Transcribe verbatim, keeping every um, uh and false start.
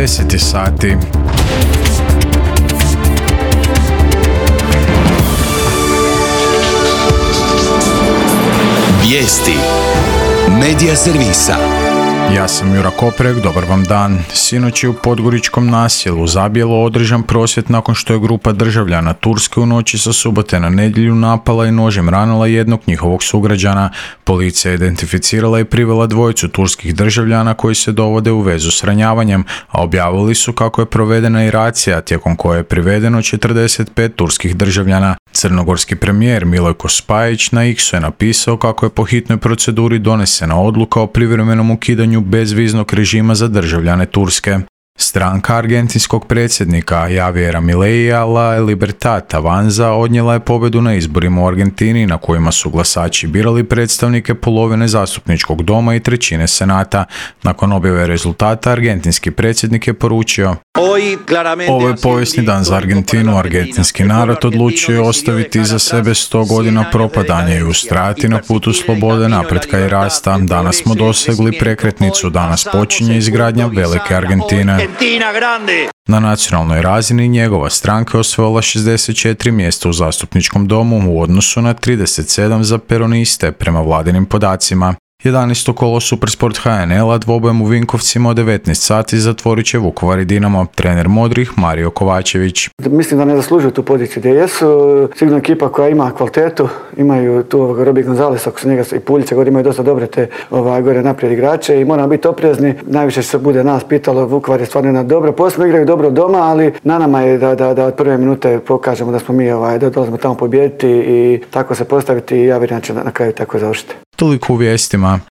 deset sati. Vijesti Medija servisa. Ja sam Jura Koprek, dobar vam dan. Sinoć je u podgoričkom naselju Zabijelo održan prosvjed nakon što je grupa državljana Turske u noći sa subote na nedjelju napala i nožem ranila jednog njihovog sugrađana. Policija je identificirala i privela dvojicu turskih državljana koji se dovode u vezu s ranjavanjem, a objavili su kako je provedena i racija tijekom koje je privedeno četrdeset pet turskih državljana. Crnogorski premijer Milojko Spajić na X-u je napisao kako je po hitnoj proceduri donesena odluka o privremenom ukidanju bezviznog režima za državljane Turske. Stranka argentinskog predsjednika Javiera Mileija La Libertad Avanza odnijela je pobjedu na izborima u Argentini na kojima su glasači birali predstavnike polovine zastupničkog doma i trećine senata. Nakon objave rezultata argentinski predsjednik je poručio: "Ovo je povijesni dan za Argentinu. Argentinski narod odlučio je ostaviti iza sebe sto godina propadanja i ustrajati na putu slobode, napretka i rasta. Danas smo dosegli prekretnicu, danas počinje izgradnja velike Argentine." Na nacionalnoj razini njegova stranka je osvojila šezdeset četiri mjesta u zastupničkom domu u odnosu na trideset sedam za peroniste prema vladinim podacima. jedanaesto kolo Supersport H N L-a dvobojem u Vinkovcima od devetnaest sati zatvorit će Vukovar i Dinamo. Trener Modrih Mario Kovačević: "Mislim da ne zaslužuju tu poziciju gdje jesu. Sigurno ekipa koja ima kvalitetu, imaju tu Robi Gonzales, ako su njega i Puljice, gore imaju dosta dobre te ovaj, gore naprijed igrače i moramo biti oprezni. Najviše se bude nas pitalo, Vukovar je stvarno jedna dobra, posebno igraju dobro doma, ali na nama je da, da, da od prve minute pokažemo da smo mi ovaj, da dolazimo tamo pobijediti i tako se postaviti i ja vjerujem da će na kraju tako završiti." Toliko u vijestima.